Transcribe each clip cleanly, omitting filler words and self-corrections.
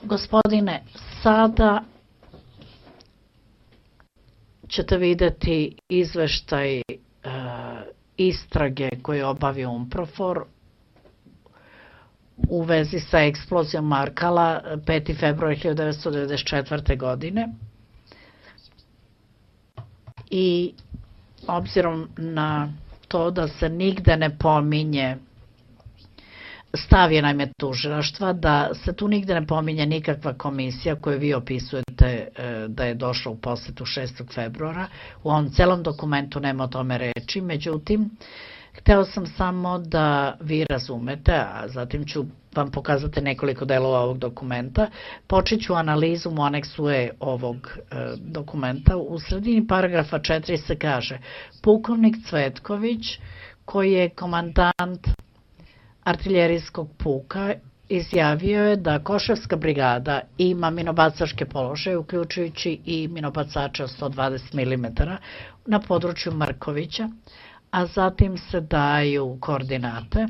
Gospodine, sada ćete videti izveštaj istrage koju je obavio UNPROFOR u vezi sa eksplozijom Markala 5. februara 1994. godine. I obzirom na to da se nigde ne pominje, stav je naime tužilaštva da se tu nigde ne pominje nikakva komisija koju vi opisujete da je došla u posetu 6. februara. U ovom celom dokumentu nema o tome reči, međutim, hteo sam samo da vi razumete, a zatim ću vam pokazati nekoliko delova ovog dokumenta. Počet ću analizu u aneksu E ovog dokumenta. U sredini paragrafa 4 se kaže: pukovnik Cvetković, koji je komandant artiljerijskog puka, izjavio je da Košarska brigada ima minobacačke položaje, uključujući i minobacače od 120 mm na području Markovića, a zatim se daju koordinate.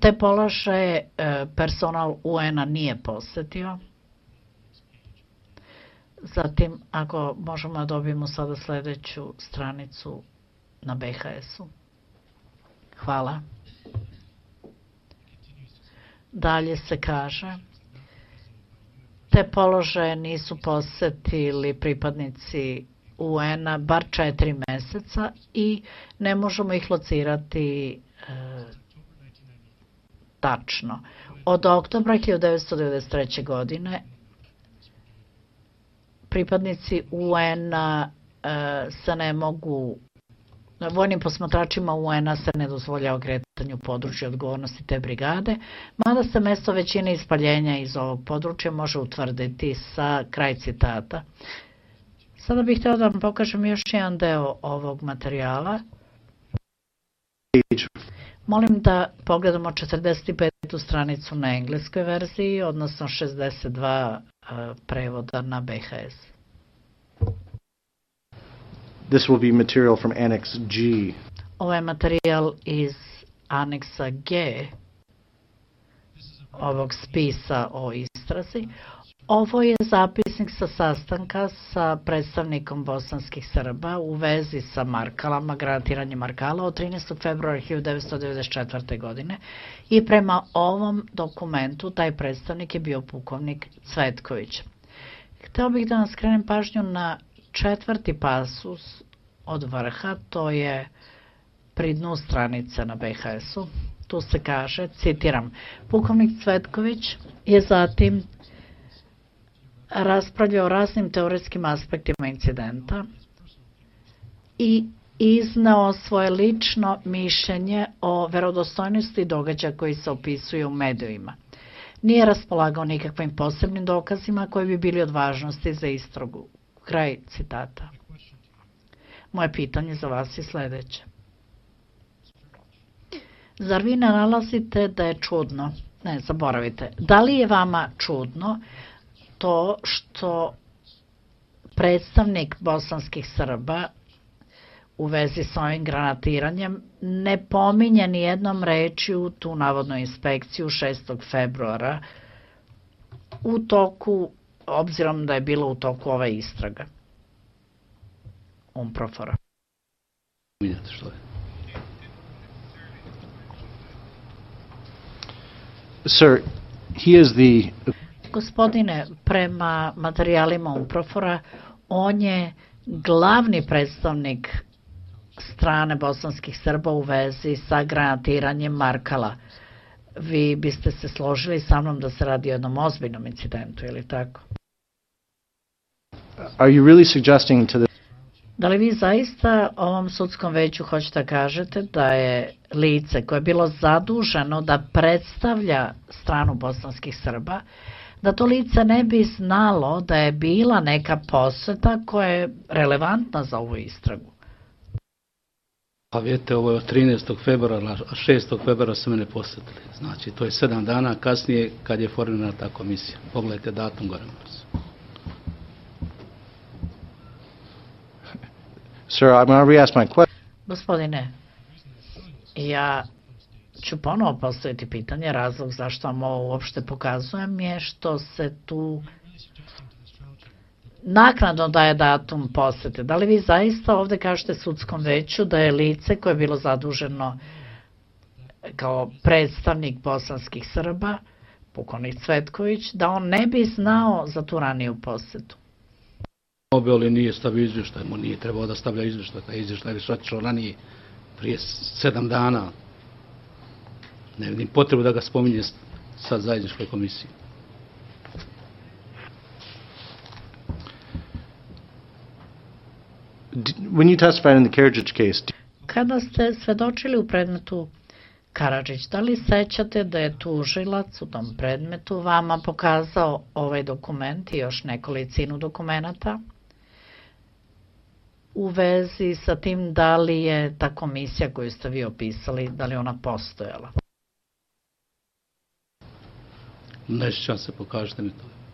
Te položaje personal UN-a nije posetio. Zatim, ako možemo da dobijemo sada sledeću stranicu na BHS-u. Hvala. Dalje se kaže: te položaje nisu posetili pripadnici UN-a bar 4 meseca i ne možemo ih locirati tačno. Od oktobra 1993. godine pripadnici UN-a se ne mogu, vojnim posmatračima UN-a se ne dozvoljava kretanje u području odgovornosti te brigade, mada se mesto većine ispaljenja iz ovog područja može utvrditi sa kraj citata. Sada bih htio da vam pokažem još jedan deo ovog materijala. Molim da pogledamo 45. stranicu na engleskoj verziji, odnosno 62 prevoda na BHS. This will be material from Annex G. Ovo je materijal iz aneksa G ovog spisa o istrazi. Ovo je zapisnik sa sastanka sa predstavnikom bosanskih Srba u vezi sa Markalama, granatiranjem Markala od 13. februara 1994. godine i prema ovom dokumentu taj predstavnik je bio pukovnik Cvetković. Hteo bih da vam skrenem pažnju na 4. pasus od vrha, to je pri dnu stranice na BHS-u. Tu se kaže, citiram: pukovnik Cvetković je zatim raspravljao o raznim teoretskim aspektima incidenta i izneo svoje lično mišljenje o verodostojnosti događaja koji se opisuju u medijima. Nije raspolagao nikakvim posebnim dokazima koji bi bili od važnosti za istragu. Kraj citata. Moje pitanje za vas je sledeće. Zar vi ne nalazite da je čudno, ne, zaboravite, da li je vama čudno to što predstavnik bosanskih Srba u vezi sa ovim granatiranjem ne pominje ni jednom rečju tu navodnu inspekciju 6. februara u toku, obzirom da je bilo u toku ova istraga UNPROFOR-a? Sir, he is the... Gospodine, prema materijalima UNPROFOR-a, on je glavni predstavnik strane bosanskih Srba u vezi sa granatiranjem Markala. Vi biste se složili sa mnom da se radi o jednom ozbiljnom incidentu, ili tako? Are you really suggesting to the... Da li vi zaista ovom sudskom veću hoćete da kažete da je lice koje je bilo zaduženo da predstavlja stranu bosanskih Srba, da to lice ne bi znalo da je bila neka poseta koja je relevantna za ovu istragu? Pa vidite, ovo je od 13. februara, a 6. februara su mene posetili. Znači, to je 7 dana kasnije kad je formirana ta komisija. Pogledajte datum gore. Sir, I'm going to re-ask my question. Gospodine, ja ću ponovo postaviti pitanje, razlog zašto vam ovo uopšte pokazujem je što se tu naknadno daje datum posete. Da li vi zaista ovde kažete sudskom veću da je lice koje je bilo zaduženo kao predstavnik bosanskih Srba, pukovnik Cvetković, da on ne bi znao za tu raniju posetu? Obeli nije stavio izvještaj, mu nije trebao da stavlja izvještaj, taj izvještaj je već otišao ranije, prije 7 dana. Ne vidim potrebu da ga spominje sad zajedničkoj komisiji. When you testified in the Karadzic case, Kada ste svedočili u predmetu Karadžić, da li sećate da je tužilac u tom predmetu vama pokazao ovaj dokument i još nekolicinu dokumenata u vezi sa tim da li je ta komisija koju ste vi opisali, da li ona postojala? Ne sjećam se, pokažite mi to.